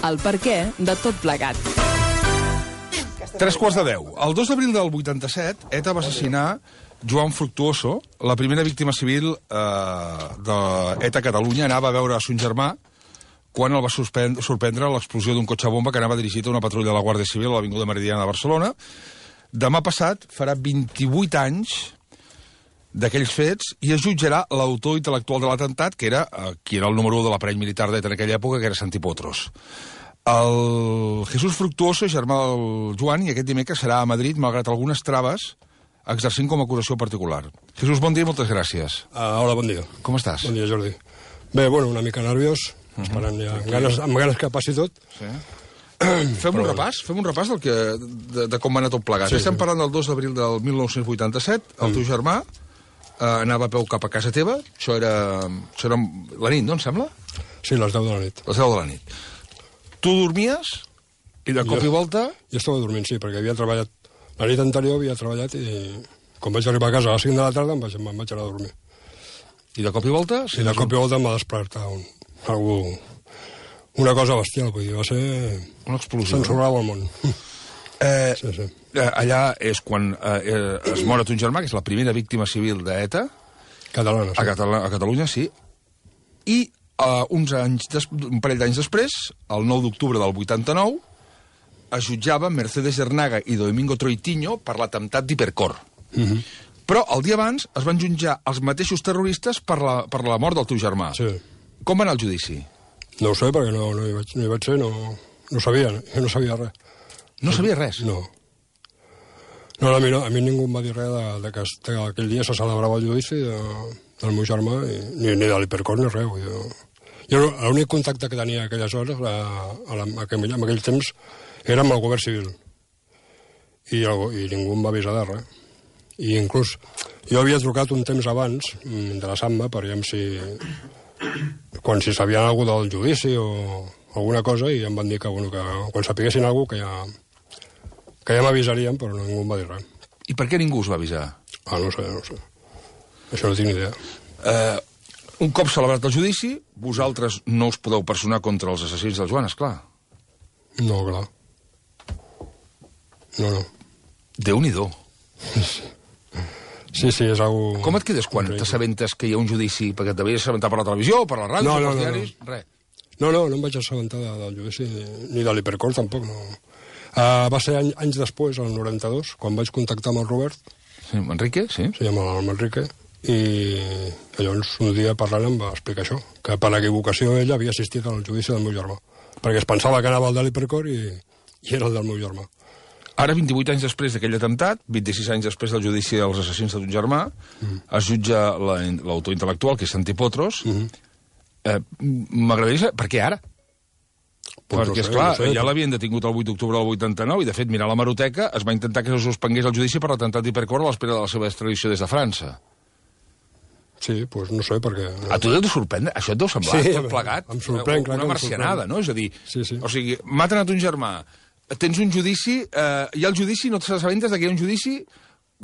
El perquè de tot plegat. 9:03. El 2 d'abril del 87, ETA va assassinar Joan Fructuoso, la primera víctima civil d'ETA a Catalunya. Anava a veure a son germà quan el va sorprendre l'explosió d'un cotxe bomba que anava dirigit a una patrulla de la Guàrdia Civil a l'Avinguda Meridiana de Barcelona. Demà passat farà 28 anys d'aquells fets i es jutjarà l'autor intel·lectual de l'atemptat, que era qui era el número 1 de l'aparell militar d'ETA en aquella època, que era Santi Potros. El Jesús Fructuoso, germà del Joan, i aquest dimecres serà a Madrid, malgrat algunes traves, exercint com a acusació particular. Jesús, bon dia i moltes gràcies. Hola, bon dia. Com estàs? Bon dia, Jordi. Bé, bueno, una mica nerviós, esperant ja, amb ganes que passi tot. Sí. Fem un repàs de com va anar tot plegat. Estem parlant del 2 d'abril del 1987, el teu germà anava a peu cap a casa teva, això era la nit, no, em sembla? Sí, les 10 de la nit. Les 10 de la nit. Tu dormies i de cop i volta... Jo estava dormint, sí, perquè havia treballat... La nit anterior havia treballat i quan vaig arribar a casa a les 5 de la tarda em vaig anar a dormir. I de cop i volta? Sí, de cop i volta em va despertar una cosa bestial, vull dir, va ser... Una explosió. Censurava el món. Sí. Allà és quan es mor ton germà, que és la primera víctima civil d'ETA. Catalana, sí. A Catalunya, sí. I un parell d'anys després, el 9 d'octubre del 89, es jutjaven Mercedes Hernaga i Domingo Troitiño per l'atemptat d'Hipercor. Però el dia abans es van jutjar els mateixos terroristes per la mort del teu germà. Sí. Com va anar el judici? No ho sé, perquè no hi vaig ser, no sabia, jo no sabia res. No sabia res? No. No, a mi ningú em va dir res que aquell dia se celebrava el judici del meu germà, ni de l'Hipercor ni res. Jo l'únic contacte que tenia aquelles hores, en aquell temps, era amb el govern civil. I ningú em va avisar de res. I inclús jo havia trucat un temps abans, interessant-me, per veure si sabien alguna cosa del judici o alguna cosa, i em van dir que quan sapiguessin alguna cosa que ja m'avisarien, però ningú em va dir res. I per què ningú us va avisar? No sé. Això no tinc ni idea. Un cop celebrat el judici, vosaltres no us podeu personar contra els assassins del Joan, esclar. No, clar. No. Déu-n'hi-do. Sí, és algo... Com et quedes quan t'assabentes que hi ha un judici? Perquè t'havies assabentat per la televisió, per la ràdio, per els diaris? Res. No em vaig assabentar del judici, ni de l'Hipercor tampoc, no. Va ser anys després, el 92, quan vaig contactar amb el Robert. Sí, amb Enrique, sí. Sí, amb Enrique. I llavors un dia parlant em va explicar això, que per equivocació ell havia assistit al judici del meu germà, perquè es pensava que anava al de l'Hipercor i era el del meu germà. Ara, 28 anys després d'aquell atemptat, 26 anys després del judici dels assassins de ton germà, es jutja l'autor intel·lectual, que és Santi Potros. M'agradaria saber per què ara? Perquè, esclar, ja l'havien detingut el 8 d'octubre del 89 i, de fet, mirant la hemeroteca, es va intentar que se suspengués el judici per l'atemptat d'Hipercor a l'espera de la seva extradició des de França. Sí, doncs no sé, perquè... A tu deu sorprendre? Això et deu semblar tot plegat? Em sorprèn, clar. Una marcianada, no? És a dir, sí. O sigui, maten a ton germà, tens un judici, hi ha el judici, no t'assabentes que hi ha un judici,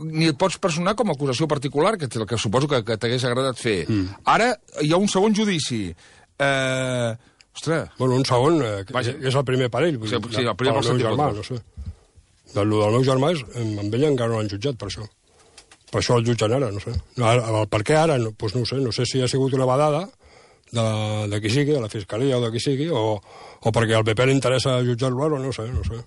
ni et pots personar com a acusació particular, que és el que suposo que t'hagués agradat fer. Ara hi ha un segon judici. Ostres... Bueno, un segon, és el primer per ell. Sí, el primer per el meu germà, no sé. Del meu germà, amb ell encara no l'han jutjat, per això. Per això el jutgen ara, no sé. Per què ara? Doncs no ho sé. No sé si ha sigut una vedada de qui sigui, de la Fiscalia o de qui sigui, o perquè al PP li interessa jutjar-lo ara, no sé. No sé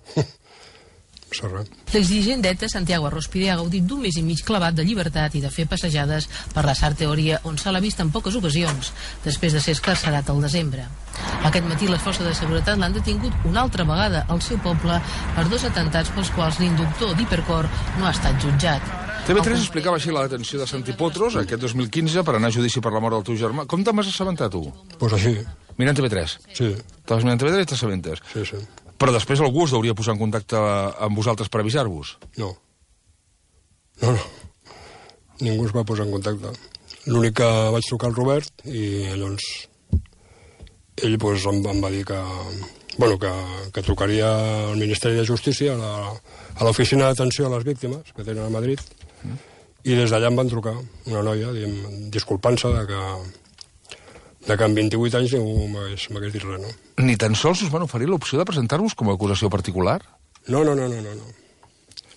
res. L'exdirigent d'ETA, Santiago Arrospide, ha gaudit d'un mes i mig clavat de llibertat i de fer passejades per la Sarteoria, on se l'ha vist en poques ocasions, després de ser escarcerat al desembre. Aquest matí les forces de seguretat l'han detingut una altra vegada al seu poble per 2 atemptats pels quals l'inductor d'Hipercor no ha estat jutjat. TV3 explicava així la detenció de Santi Potros aquest 2015 per anar a judici per la mort del teu germà. Com te'n vas assabentar, tu? Doncs així. Mirant TV3? Sí. Estaves mirant TV3 i t'assabentes? Sí. Però després algú es hauria posat en contacte amb vosaltres per avisar-vos? No. Ningú es va posar en contacte. L'únic que vaig trucar al Robert i llavors ell em va dir que trucaria al Ministeri de Justícia, a l'Oficina d'Atenció a les Víctimes, que tenen a Madrid, i des d'allà em van trucar una noia disculpant-se de que en 28 anys ningú m'hagués dit res, no? Ni tan sols us van oferir l'opció de presentar-vos com a acusació particular? No.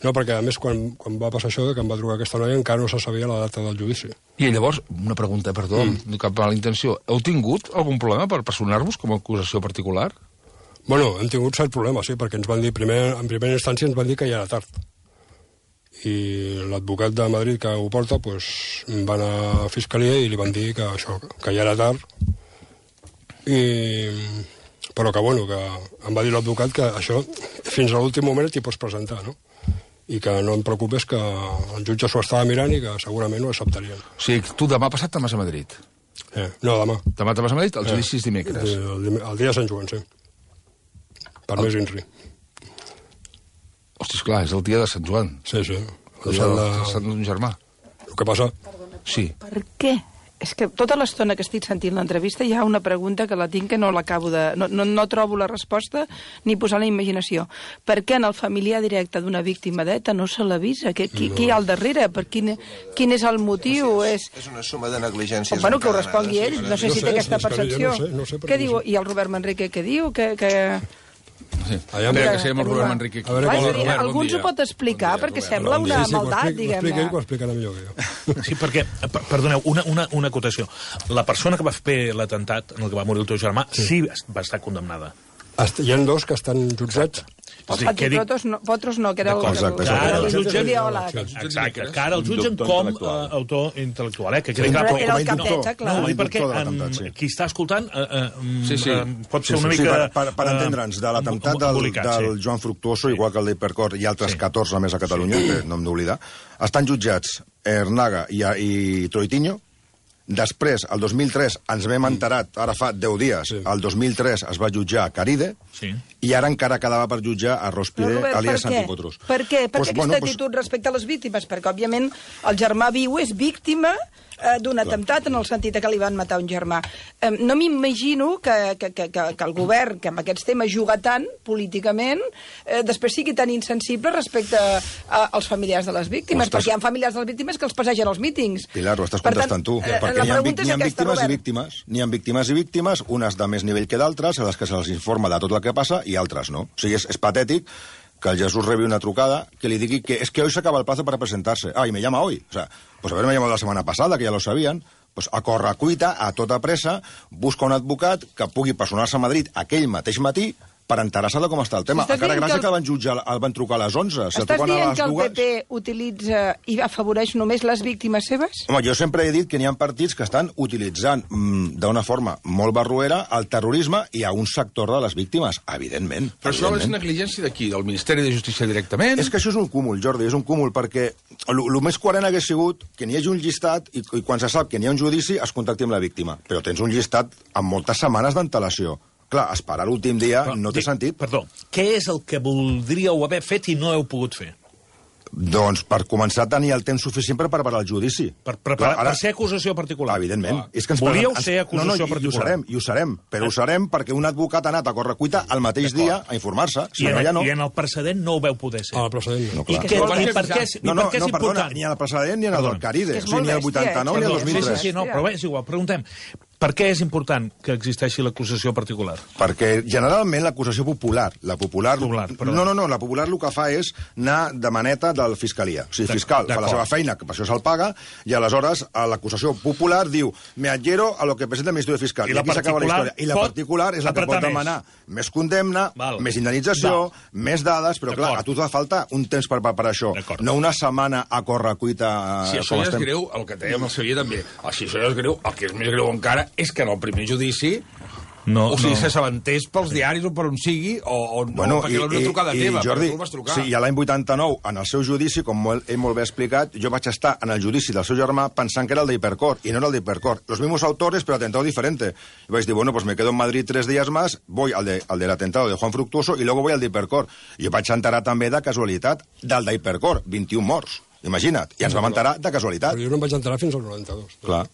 No, perquè a més quan va passar això, que em va trucar aquesta noia, encara no se sabia la data del judici. I llavors, una pregunta, perdó, amb cap mala intenció. Heu tingut algun problema per personar-vos com a acusació particular? Bueno, hem tingut cert problema, sí, perquè ens van dir, en primera instància ens van dir que ja era tard. I l'advocat de Madrid que ho porta, pues, va anar a Fiscalia i li van dir que això, que ja era tard. Però que, bueno, que em va dir l'advocat que això, fins a l'últim moment t'hi pots presentar, no? I que no em preocupes que el jutge s'ho estava mirant i que segurament ho acceptarien. O sigui, tu demà passat te'n vas a Madrid? No, demà. Demà te'n vas a Madrid? El judici és dimecres. El dia de Sant Joan, sí. Per més INRI. Hosti, esclar, és el dia de Sant Joan. Sí. El dia de Sant d'un germà. El que passa... Sí. Per què? És que tota l'estona que estic sentint l'entrevista hi ha una pregunta que la tinc que no l'acabo de... No trobo la resposta ni posar la imaginació. Per què en el familiar directe d'una víctima d'ETA no se l'avisa? Qui hi ha al darrere? Quin és el motiu? És una suma de negligències. Bueno, que ho respongui ell. No sé si té aquesta percepció. No sé, què diu? I el Robert Manrique què diu? Sí. Espera, que siguem el Robert Manrique. Algú ens ho pot explicar, perquè sembla una maldat, diguem-ne. Ho explicarà millor que jo. Sí, perquè, perdoneu, una acotació. La persona que va fer l'atemptat en el que va morir el teu germà sí va estar condemnada. Hi ha dos que estan jutjats. Potros no, que era el ideòleg. Exacte, que ara el jutgen com a autor intel·lectual. Era el capeta, clar. No, perquè qui està escoltant pot ser una mica... Per entendre'ns, de l'atemptat del Joan Fructuoso, igual que el d'Hipercor i altres 14 més a Catalunya, que no hem d'oblidar, estan jutjats Ernaga i Troitiño. Després, el 2003, ens vam enterat, ara fa 10 dies, el 2003 es va jutjar a Caride, i ara encara quedava per jutjar a Rospide, alias Santi Potros. Per què? Per què aquesta actitud respecte a les víctimes? Perquè, òbviament, el germà viu és víctima d'un atemptat en el sentit que li van matar un germà. No m'imagino que el govern, que amb aquests temes juga tant políticament, després sigui tan insensible respecte als familiars de les víctimes, perquè hi ha familiars de les víctimes que els passegen als mítings. Pilar, ho estàs contestant tu. Perquè n'hi ha víctimes i víctimes. N'hi ha víctimes i víctimes, unes de més nivell que d'altres, a les que se'ls informa de tot el que passa, i altres no. O sigui, és patètic que el Jesús rebi una trucada que li digui que es que hoy se acaba el plazo para presentarse. Ah, y me llama hoy. O sea, pues haberme llamado la semana pasada, que ya lo sabían. Pues a correcuita, a tota pressa, busca un advocat que pugui personar-se a Madrid aquell mateix matí per enterar-se de com està el tema. Encara gràcies que el van trucar a les 11. Estàs dient que el PP utilitza i afavoreix només les víctimes seves? Home, jo sempre he dit que n'hi ha partits que estan utilitzant d'una forma molt barroera el terrorisme i a un sector de les víctimes, evidentment. Però això és negligència d'aquí, del Ministeri de Justícia directament? És que això és un cúmul, Jordi, és un cúmul, perquè el més coherent hagués sigut que n'hi hagi un llistat i quan se sap que n'hi ha un judici es contacti amb la víctima. Però tens un llistat amb moltes setmanes d'antelació. Clar, esperar l'últim dia no té sentit. Perdó, què és el que voldríeu haver fet i no heu pogut fer? Doncs per començar a tenir el temps suficient per preparar el judici. Per ser acusació particular? Evidentment. Volíeu ser acusació particular? I ho serem, però ho serem perquè un advocat ha anat a correcuita el mateix dia a informar-se. I en el precedent no ho veu poder ser? El precedent no. I per què és important? Ni en el precedent ni en el del Caride, ni el 89 ni el 2003. Sí, però bé, és igual, preguntem. Per què és important que existeixi l'acusació particular? Perquè generalment l'acusació popular, la popular el que fa és anar de maneta del fiscalia. O sigui, fiscal fa la seva feina, que per això se'l paga, i aleshores l'acusació popular diu me adhiero a lo que presenta el Ministerio Fiscal. I aquí s'acaba la història. I la particular és la que pot demanar més condemna, més indemnització, més dades, però clar, a tu t'ha falta un temps per preparar això, no una setmana a correcuita. Si això ja és greu, el que dèiem el Xavier també, si això ja és greu, el que és més greu encara és que en el primer judici s'assabentés pels diaris o per on sigui, perquè era una trucada teva, Jordi, tu el vas trucar. Sí, i l'any 89, en el seu judici, com ell molt bé explicat, jo vaig estar en el judici del seu germà pensant que era el d'Hipercor, i no era el d'Hipercor. Los mismos autores, pero atentado diferente. Y vaig dir, pues me quedo en Madrid 3 días más, voy al del atentado de Juan Fructuoso, y luego voy al d'Hipercor. I jo vaig enterar també de casualitat del d'Hipercor, 21 morts. Imagina't, i ens vam enterar de casualitat. Però jo no em vaig enterar fins al 92. Clar.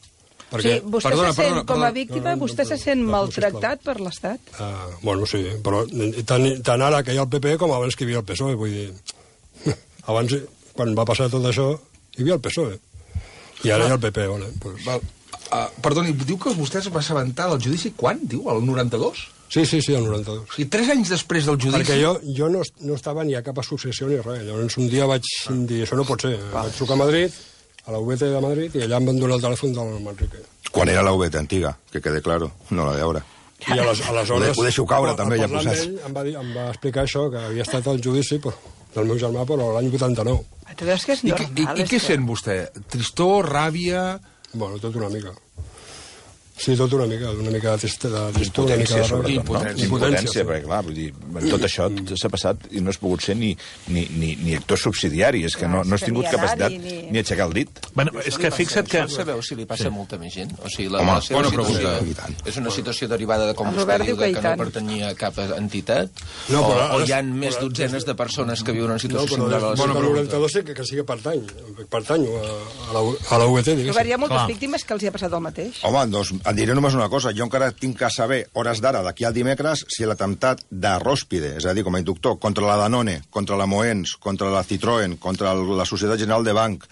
Sí, vostè se sent, com a víctima, vostè se sent maltractat per l'Estat? Bueno, sí, però tant ara que hi ha el PP com abans que hi havia el PSOE, vull dir... Abans, quan va passar tot això, hi havia el PSOE. I ara hi ha el PP, Perdoni, diu que vostè es va assabentar del judici quan? Diu, el 92? Sí, el 92. O sigui, 3 anys després del judici... Perquè jo no estava ni a cap associació ni res. Llavors un dia vaig dir, això no pot ser. Vaig trucar a Madrid, a la UVT de Madrid, i allà em van donar el telèfon del Manrique. Quan era la UVT antiga, que quede claro, no la d'ara. I aleshores... Ho deixo caure, també, ja posats. Ell em va explicar això, que havia estat el judici del meu germà, però l'any 89. Tu veus que és normal. I què sent vostè? Tristor, ràbia... Bueno, tot una mica. Sí, tot una mica de tristor, una mica de ràbia. Impotència, perquè clar, vull dir, tot això s'ha passat i no has pogut ser ni actor subsidiari, és que no has tingut capacitat ni aixecar el dit. Bueno, és que fixa't que... Sabeu si li passa a molta més gent? O sigui, la seva situació és una situació derivada de, com vostè diu, que no pertanyia a cap entitat? O hi ha més dotzenes de persones que viuen en situació similar a la seva? Bueno, però 92 que sí que pertanyo a la UVT, diguéssim. Però hi ha moltes víctimes que els hi ha passat el mateix. Home, doncs et diré només una cosa. Jo encara tinc que saber, hores d'ara, d'aquí al dimecres, si l'atemptat de Róspide, és a dir, com a inductor, contra la Danone, contra la Moens, contra la Citroën, contra la Societat General de Banc,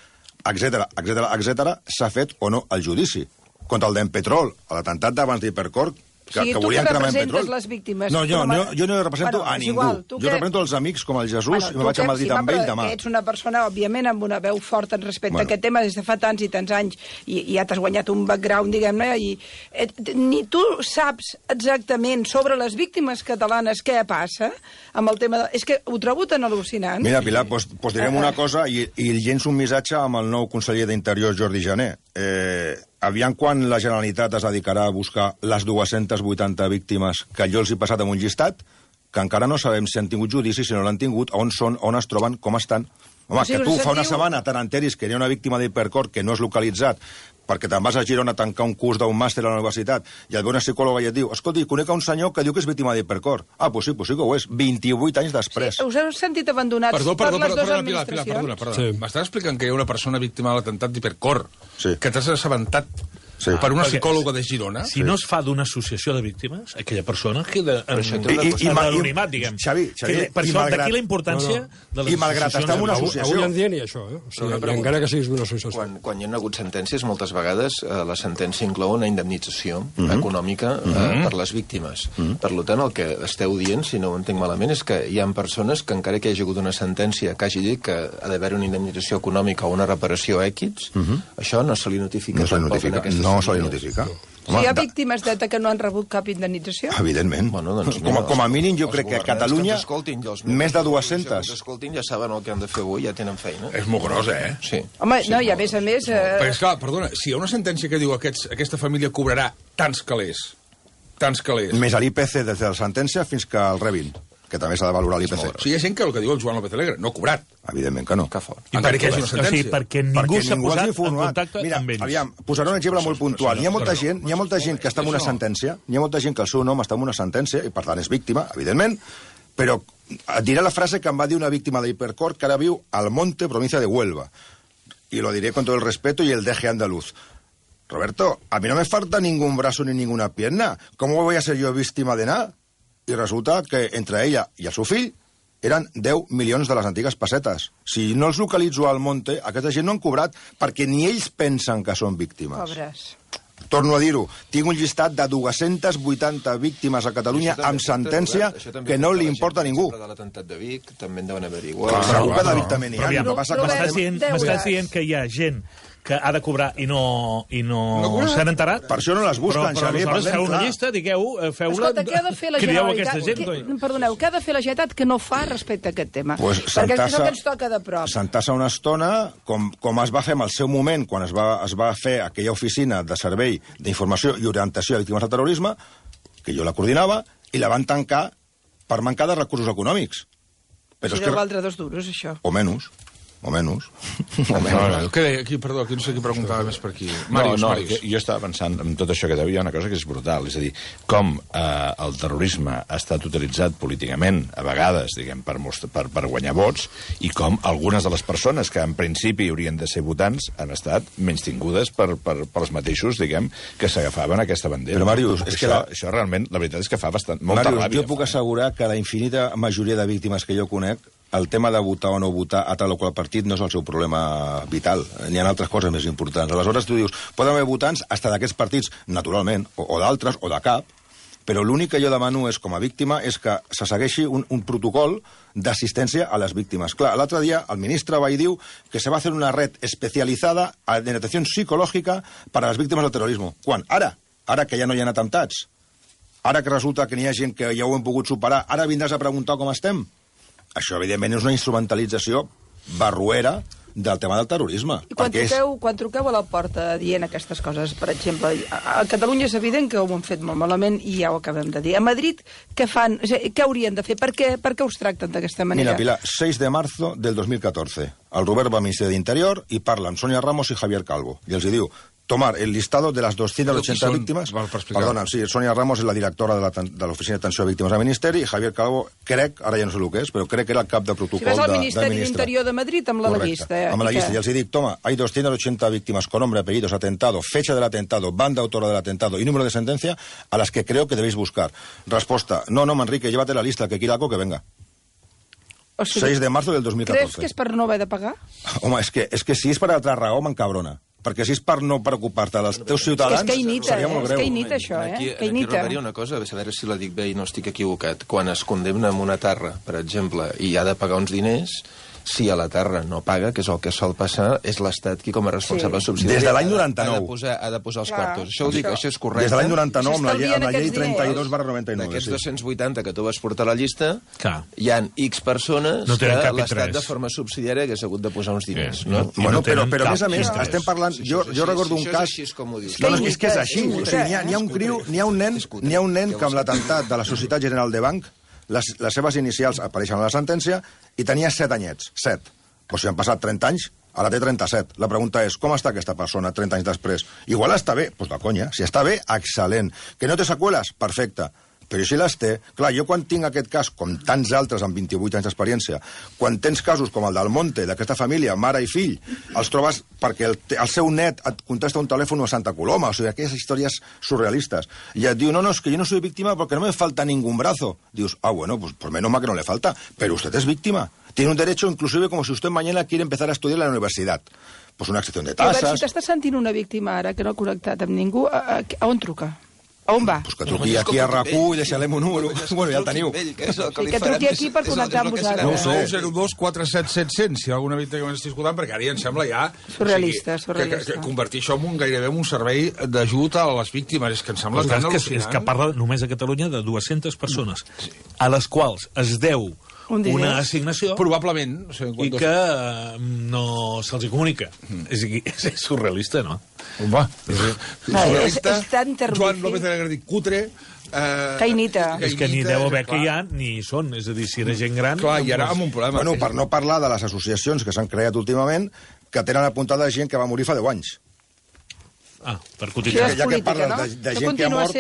etc., s'ha fet o no el judici. Contra el d'Empetrol, l'atemptat d'abans d'Hipercor, que volien cremar en petrol. Les víctimes. No, jo no represento a ningú. Jo represento els amics com el Jesús i me vaig a Madrid amb ell demà. Ets una persona, òbviament, amb una veu forta respecte a aquest tema des de fa tants i tants anys i ja t'has guanyat un background, diguem-ne, i ni tu saps exactament sobre les víctimes catalanes què passa amb el tema de... És que ho trobo tan al·lucinant. Mira, Pilar, doncs direm una cosa i llenço un missatge amb el nou conseller d'Interior, Jordi Jané. Aviam quan la Generalitat es dedicarà a buscar les 280 víctimes que jo els he passat amb un llistat, que encara no sabem si han tingut judici, si no l'han tingut, on són, on es troben, com estan. Home, que tu fa una setmana te n'enteris que hi ha una víctima d'Hipercor que no és localitzat perquè te'n vas a Girona a tancar un curs d'un màster a la universitat i et ve una psicòloga i et diu escolti, conec un senyor que diu que és víctima d'Hipercor. Ah, pues sí que ho és. 28 anys després. Sí, us heu sentit abandonats per les dues administracions? Perdona. Sí. M'estàs explicant que hi ha una persona víctima de l'atemptat d'Hipercor, que t'has assabentat per una psicòloga de Girona? Si no es fa d'una associació de víctimes, aquella persona queda en anonimat, diguem. Xavi, per això, d'aquí la importància de les associacions. I malgrat estar en una associació... Avui en dia ni això, o sigui, encara que siguis d'una associació. Quan hi ha hagut sentències, moltes vegades la sentència inclou una indemnització econòmica per les víctimes. Per tant, el que esteu dient, si no ho entenc malament, és que hi ha persones que encara que hi hagi hagut una sentència que hagi dit que ha d'haver una indemnització econòmica o una reparació X, això no se li notifica. No se li notifica. Si hi ha víctimes d'ETA que no han rebut cap indemnització? Evidentment. Com a mínim, jo crec que a Catalunya més de 200. Escoltin, ja saben el que han de fer avui, ja tenen feina. És molt gros, Sí. Home, no, i a més... Perquè, esclar, perdona, si hi ha una sentència que diu que aquesta família cobrarà tants calés... Més a l'IPC des de la sentència fins que el rebin, que també s'ha de valorar l'IPC. O sigui, hi ha gent que el que diu el Joan López Alegre no ha cobrat. Evidentment que no. Encara que hi hagi una sentència. O sigui, perquè ningú s'ha posat en contacte amb ells. Aviam, posaré un exemple molt puntual. Hi ha molta gent que està en una sentència, hi ha molta gent que el seu nom està en una sentència, i per tant és víctima, evidentment, però et diré la frase que em va dir una víctima d'Hipercor que ara viu al Monte, provincia de Huelva. Y lo diré con todo el respeto y el deje andaluz. Roberto, a mí no me falta ningún brazo ni ninguna pierna. ¿Cómo voy a ser yo víctima de nada? I resulta que entre ella i el seu fill eren 10 milions de les antigues pessetes. Si no els localitzo al Monte, aquesta gent no han cobrat perquè ni ells pensen que són víctimes. Pobres. Torno a dir-ho, tinc un llistat de 280 víctimes a Catalunya amb sentència que no li importa a ningú. De l'atemptat de Vic també en deuen haver igual. Segur que de Vic també n'hi ha. M'estàs dient que hi ha gent que ha de cobrar i no s'han enterat? Per això no les busquen, Xavier. Però aleshores feu una llista, digueu-la... Escolta, què ha de fer la Generalitat? Perdoneu, què ha de fer la Generalitat que no fa respecte a aquest tema? Perquè és el que ens toca de prop. Sentar-se una estona, com es va fer en el seu moment, quan es va fer aquella oficina de servei d'informació i orientació a víctimes del terrorisme, que jo la coordinava, i la van tancar per mancar de recursos econòmics. Si deu valdre 2 duros, això. O menys. Perdó, aquí no sé qui preguntava més per aquí. Màrius. Jo estava pensant en tot això que deu, hi ha una cosa que és brutal, és a dir, com el terrorisme ha estat utilitzat políticament, a vegades, diguem, per guanyar vots, i com algunes de les persones que en principi haurien de ser votants han estat menystingudes pels mateixos, diguem, que s'agafaven aquesta bandera. Però, Màrius, és que això realment, la veritat és que fa molta ràbia. Jo puc assegurar que la infinita majoria de víctimes que jo conec el tema de votar o no votar a tal o qual partit no és el seu problema vital. N'hi ha altres coses més importants. Aleshores tu dius, poden haver votants hasta d'aquests partits, naturalment, o d'altres, o de cap, però l'únic que jo demano és, com a víctima, és que se segueixi un protocol d'assistència a les víctimes. Clar, l'altre dia el ministre va i diu que se va fer una red especializada en atenció psicològica per a les víctimes del terrorisme. Quan? Ara que ja no hi ha atemptats. Ara que resulta que n'hi ha gent que ja ho hem pogut superar, ara vindràs a preguntar com estem? Això, evidentment, és una instrumentalització barruera del tema del terrorisme. I quan truqueu a la porta dient aquestes coses, per exemple, a Catalunya és evident que ho han fet molt malament i ja ho acabem de dir. A Madrid, què fan? Què haurien de fer? Per què us tracten d'aquesta manera? Mira, Pilar, 6 de marzo del 2014. El Robert va al Ministeri d'Interior i parla amb Sonia Ramos i Javier Calvo. I els diu, tomar el listado de las 280 víctimes... Perdona, sí, Sonia Ramos és la directora de l'Oficina d'Atenció a Víctimes del Ministeri i Javier Calvo, crec, ara ja no sé el que és, però crec que era el cap de protocol del ministre. Si vas al Ministeri d'Interior de Madrid amb la llista. Amb la llista, y els dic, toma, hay 280 víctimas con nombre, apellidos, atentado, fecha del atentado, banda autora del atentado y número de sentencia a las que creo que debéis buscar. Respuesta, no, Manrique, llévate la lista, que aquí algo que venga. O sigui, 6 de marzo del 2014. Creus que és per no haver de pagar? Home, és que si és per altra raó, m'encabrona. Perquè si és per no preocupar-te dels teus ciutadans, seria molt greu. És que imita això, Aquí recordaria una cosa, a veure si la dic bé i no estic equivocat. Quan es condemna amb una terra, per exemple, i ha de pagar uns diners, si a la terra no paga, que és el que sol passar, és l'Estat qui, com a responsable subsidiari, des de l'any 99 ha de posar els quartos. Això ho dic, això és correcte. Des de l'any 99, amb la llei 32/99. D'aquests 280 que tu vas portar a la llista, hi ha X persones que l'Estat de forma subsidiària hagués hagut de posar uns diners. Bueno, però a més a més, estem parlant... Jo recordo un cas... No, és que és així. N'hi ha un nen que amb l'atemptat de la Societat General de Banc, les seves inicials apareixen a la sentència i tenia 7 anyets. 7. O sigui, han passat 30 anys, ara té 37. La pregunta és, com està aquesta persona 30 anys després? Igual està bé? Doncs de conya. Si està bé, excel·lent. Que no té seqüeles? Perfecte. Però si les té... Clar, jo quan tinc aquest cas, com tants altres amb 28 anys d'experiència, quan tens casos com el del Monte, d'aquesta família, mare i fill, els trobes perquè el seu net et contesta un telèfon a Santa Coloma, o sigui, aquelles històries surrealistes. I et diu, no, es que yo no soy víctima porque no me falta ningún brazo. Dius, bueno, pues por menos mal que no le falta, pero usted es víctima. Tiene un derecho, inclusive, como si usted mañana quiere empezar a estudiar en la universidad. Pues una excepción de tasas... Robert, si t'estàs sentint una víctima ara que no ha connectat amb ningú, a on truca? A on va? Pues que truqui aquí a RAC1 i deixarem un número. Bueno, ja el teniu. Que truqui aquí per connectar amb vosaltres. 902 47 700, si hi ha alguna víctima que m'està escoltant, perquè ara ja em sembla ja... Surrealista. Que convertir això en gairebé un servei d'ajut a les víctimes. És que em sembla tan al·lucinant. És que parla només a Catalunya de 200 persones, a les quals es deu una assignació probablement i que no se'ls comunica. És surrealista, no? Home, és tan terrorífic. Joan López de Negre dic cutre. Cainita. És que ni deu haver que hi ha, ni hi són. És a dir, si era gent gran... Clar, i ara amb un problema. Bueno, per no parlar de les associacions que s'han creat últimament, que tenen apuntada gent que va morir fa 10 anys. Per cotitzar. Ja que parles de gent que ha mort,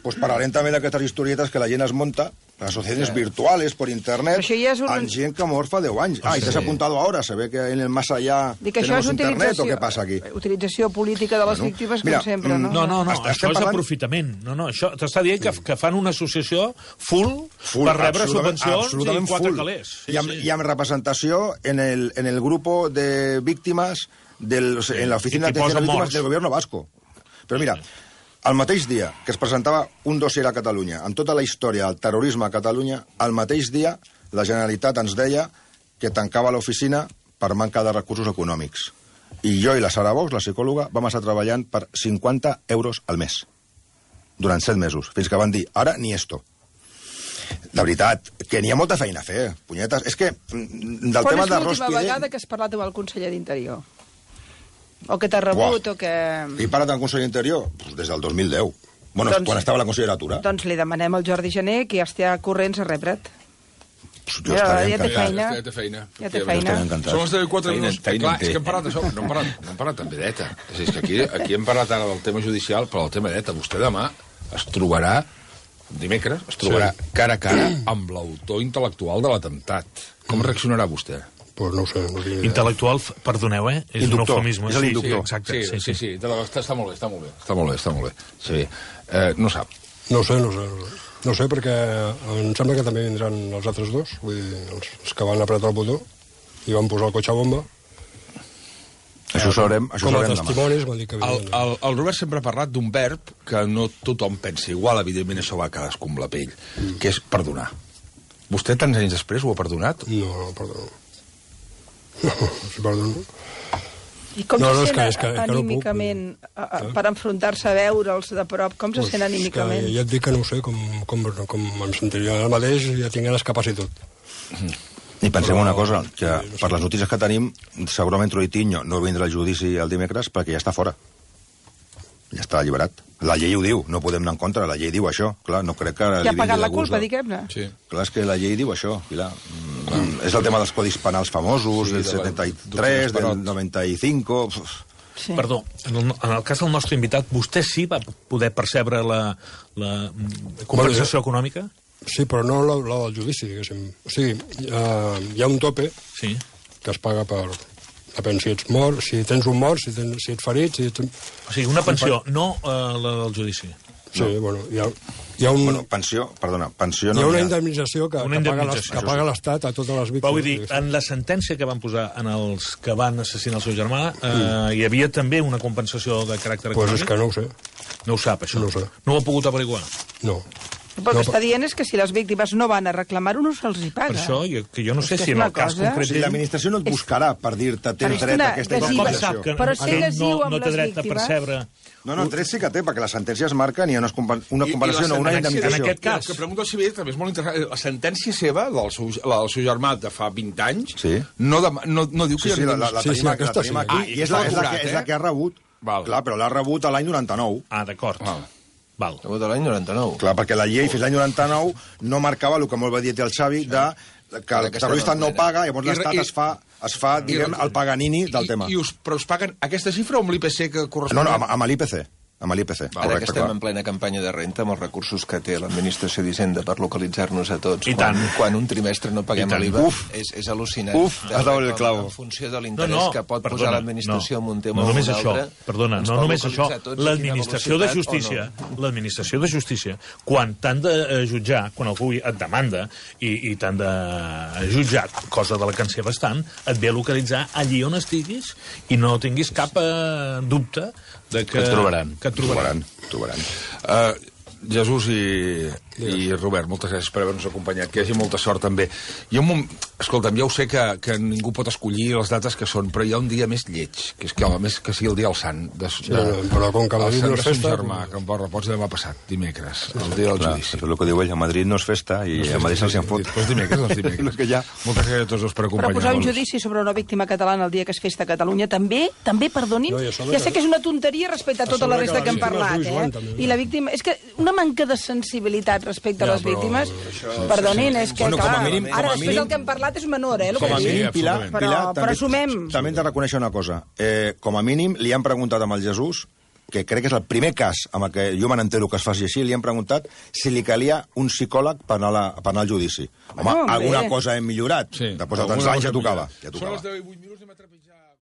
pues parlarem també d'aquestes historietes que la gent es monta, las sociedades virtuales por internet, amb gent que ha mort fa 10 anys. I t'has apuntado ahora, se ve que en el más allá tenemos internet, o què passa aquí? Utilització política de les víctimes, com sempre, no? No, això és aprofitament. No, això t'està dient que fan una associació full per rebre subvencions i 4 calés. I amb representació en el grupo de víctimes en la oficina de atención a víctimas del gobierno vasco. Però mira, el mateix dia que es presentava un dossier a Catalunya amb tota la història del terrorisme a Catalunya, el mateix dia la Generalitat ens deia que tancava l'oficina per manca de recursos econòmics. I jo i la Sara Box, la psicòloga, vam estar treballant per 50 euros al mes durant 7 mesos, fins que van dir, ara ni esto. De veritat, que n'hi ha molta feina a fer, punyetes. És que del tema de Rospide... Quan és l'última vegada que has parlat amb el conseller d'Interior? O que t'ha rebut, o que... He parlat amb el conseller d'Interior? Pues des del 2010. Bueno, quan estava la conselleria. Doncs li demanem al Jordi Gené que ja estigui corrents a rebre't. Jo estaré encantat. Ja té feina. Ja té feina. Som els 4 minuts. Clar, és que hem parlat d'això, no hem parlat també d'ETA. És que aquí hem parlat ara del tema judicial, però el tema d'ETA. Vostè demà es trobarà, dimecres, cara a cara amb l'autor intel·lectual de l'atemptat. Com reaccionarà vostè? Pues no ho sé. Intel·lectual, perdoneu, és un eufemisme. És l'inductor. Sí, està molt bé. Sí. No sap. No sé. No sé, perquè em sembla que també vindran els altres dos, vull dir, els que van apretar el botó i van posar el cotxe a bomba. Això sabrem com a testimonis van dir que vindran. El Robert sempre ha parlat d'un verb que no tothom pensa igual, evidentment això va a cadascú amb la pell, que és perdonar. Vostè tants anys després ho ha perdonat? No, perdono. No, si perdono. I com se sent anímicament per enfrontar-se a veure'ls de prop? Com se sent anímicament? Ja et dic que no ho sé, com em sentiria el mateix, ja tinc ganes cap a tot. I pensem una cosa, que per les notícies que tenim, segurament Troitiño no vindrà al judici el dimecres perquè ja està fora. Ja està alliberat. La llei ho diu, no podem anar en contra, la llei diu això. Clar, no crec que... Que ha pagat la culpa, diguem-ne. Sí. Clar, és que la llei diu això, Pilar. És el tema dels codis penals famosos, del 73, del 95... Sí. Perdó, en el cas del nostre invitat, vostè sí va poder percebre la compensació econòmica? Sí, però no la del judici, diguéssim. O sigui, hi ha un tope que es paga per... Depèn si ets mort, si tens un mort, si ets ferit... O sigui, una pensió, no la del judici. Sí, bueno, hi ha un... Bueno, pensió no hi ha una indemnització que paga l'Estat a totes les víctimes. Però vull dir, en la sentència que van posar en els que van assassinar el seu germà, hi havia també una compensació de caràcter econòmic? Doncs és que no ho sé. No ho sap, això? No ho sé. No ho ha pogut averiguar? No. Però el que està dient és que si les víctimes no van a reclamar-ho, no se'ls hi paga. Per això, que jo no sé si en el cas concret... Si l'administració no et buscarà per dir-te tens dret a aquesta indemnització. Però si lesiu amb les víctimes... No, dret sí que té, perquè les sentències marquen i hi ha una comparació, no una indemnització. En aquest cas... El que pregunto al civil també és molt interessant. La sentència seva, del seu germà de fa 20 anys, no diu que... La tenim aquí, i és la que ha rebut. Clar, però l'ha rebut l'any 99. Ah, d'acord. Val. De l'any 99. Clar, perquè la llei fins l'any 99 no marcava el que molt va dir el Xavi que el terrorista no paga, llavors l'Estat es fa, diguem, el Paganini del tema. Però us paguen aquesta xifra o amb l'IPC que correspon? No, amb l'IPC. Amb l'IPC. Ara que estem en plena campanya de renta, amb els recursos que té l'Administració d'Hisenda per localitzar-nos a tots, quan un trimestre no paguem l'IVA, és al·lucinant. Has dado el clavo. En funció de l'interès que pot posar l'Administració en un tema o un altre... Perdona, no només això. L'Administració de Justícia, quan t'han de jutjar, quan algú et demanda i t'han de jutjar, cosa de la que en sé bastant, et ve a localitzar allí on estiguis i no tinguis cap dubte de que et trobaran. Jesús i Robert, moltes gràcies per haver-nos acompanyat, que hi hagi molta sort també. Escolta'm, ja ho sé que ningú pot escollir les dates que són, però hi ha un dia més lleig, que és que sigui el dia del sant però com que a Madrid no és festa, germà, que em reposi demà passat, dimecres, el dia del judici. És el que diu ell, a Madrid no és festa i a Madrid se'ls en fot. Doncs dimecres. Moltes gràcies a tots dos per acompanyar-nos. Però posar un judici sobre una víctima catalana el dia que es festa a Catalunya també perdonin, ja sé que és una tonteria respecte a tota la resta que hem parlat, i la víctima... És que una manca de sensibilitat respecte a les víctimes, perdonin, és que, clar, ara després el que hem parlat és menor, com a mínim, Pilar, però assumem. També hem de reconèixer una cosa. Com a mínim, li han preguntat amb el Jesús, que crec que és el primer cas amb el que jo me n'entero que es faci així, li han preguntat si li calia un psicòleg per anar al judici. Home, alguna cosa hem millorat. Després de tants anys ja tocava. Són les 10:08, anem a trepitjar.